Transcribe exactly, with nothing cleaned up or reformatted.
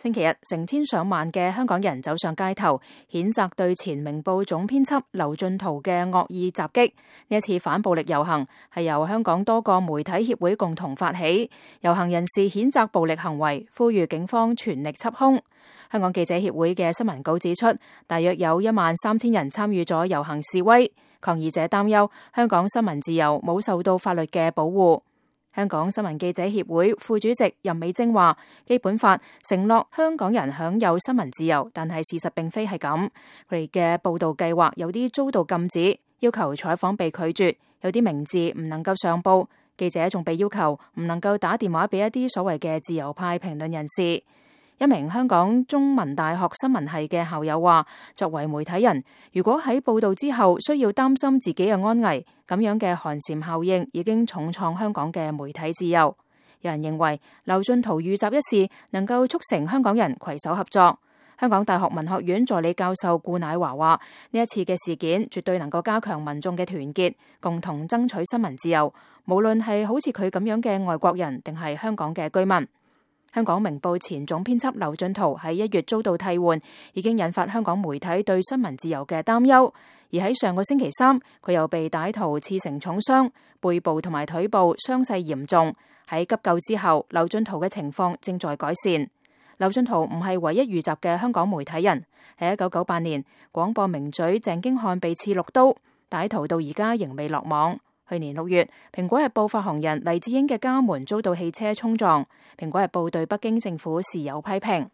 星期日，成千上萬嘅香港人走上街頭，譴責對前明報總編輯劉進圖嘅惡意襲擊。呢一次反暴力遊行係由香港多個媒體協會共同發起，遊行人士譴責暴力行為，呼籲警方全力緝兇。香港記者協會嘅新聞稿指出，大約有一萬三千人參與咗遊行示威，抗議者擔憂香港新聞自由冇受到法律嘅保護。香港新聞記者協會副主席任美貞話，基本法承諾香港人享有新聞自由，但係事實並非係咁。佢哋嘅報道計劃有啲遭到禁止，要求採訪被拒絕，有啲名字唔能夠上報，記者仲被要求唔能夠打電話俾一啲所謂嘅自由派評論人士。一名香港中文大學新聞系嘅校友話，作為媒體人，如果喺報道之後需要擔心自己嘅安危，咁樣嘅寒蟬效應已經重創香港嘅媒體自由。有人認為劉進圖遇襲一事能夠促成香港人攜手合作。香港大學文學院助理教授顧乃華話，呢一次嘅事件絕對能夠加強民眾嘅團結，共同爭取新聞自由，無論係好似佢咁樣嘅外國人，定係香港嘅居民。香港明報前總編輯劉進圖喺一月遭到替換，已經引發香港媒體對新聞自由嘅擔憂。而喺上個星期三，佢又被歹徒刺成重傷，背部同埋腿部傷勢嚴重。喺急救之後，劉進圖嘅情況正在改善。劉進圖唔係唯一遇襲嘅香港媒體人。喺一九九八年，廣播名嘴鄭經翰被刺六刀，歹徒到而家仍未落網。去年六月，蘋果日報發行人黎智英嘅家門遭到汽車衝撞，蘋果日報對北京政府事有批評。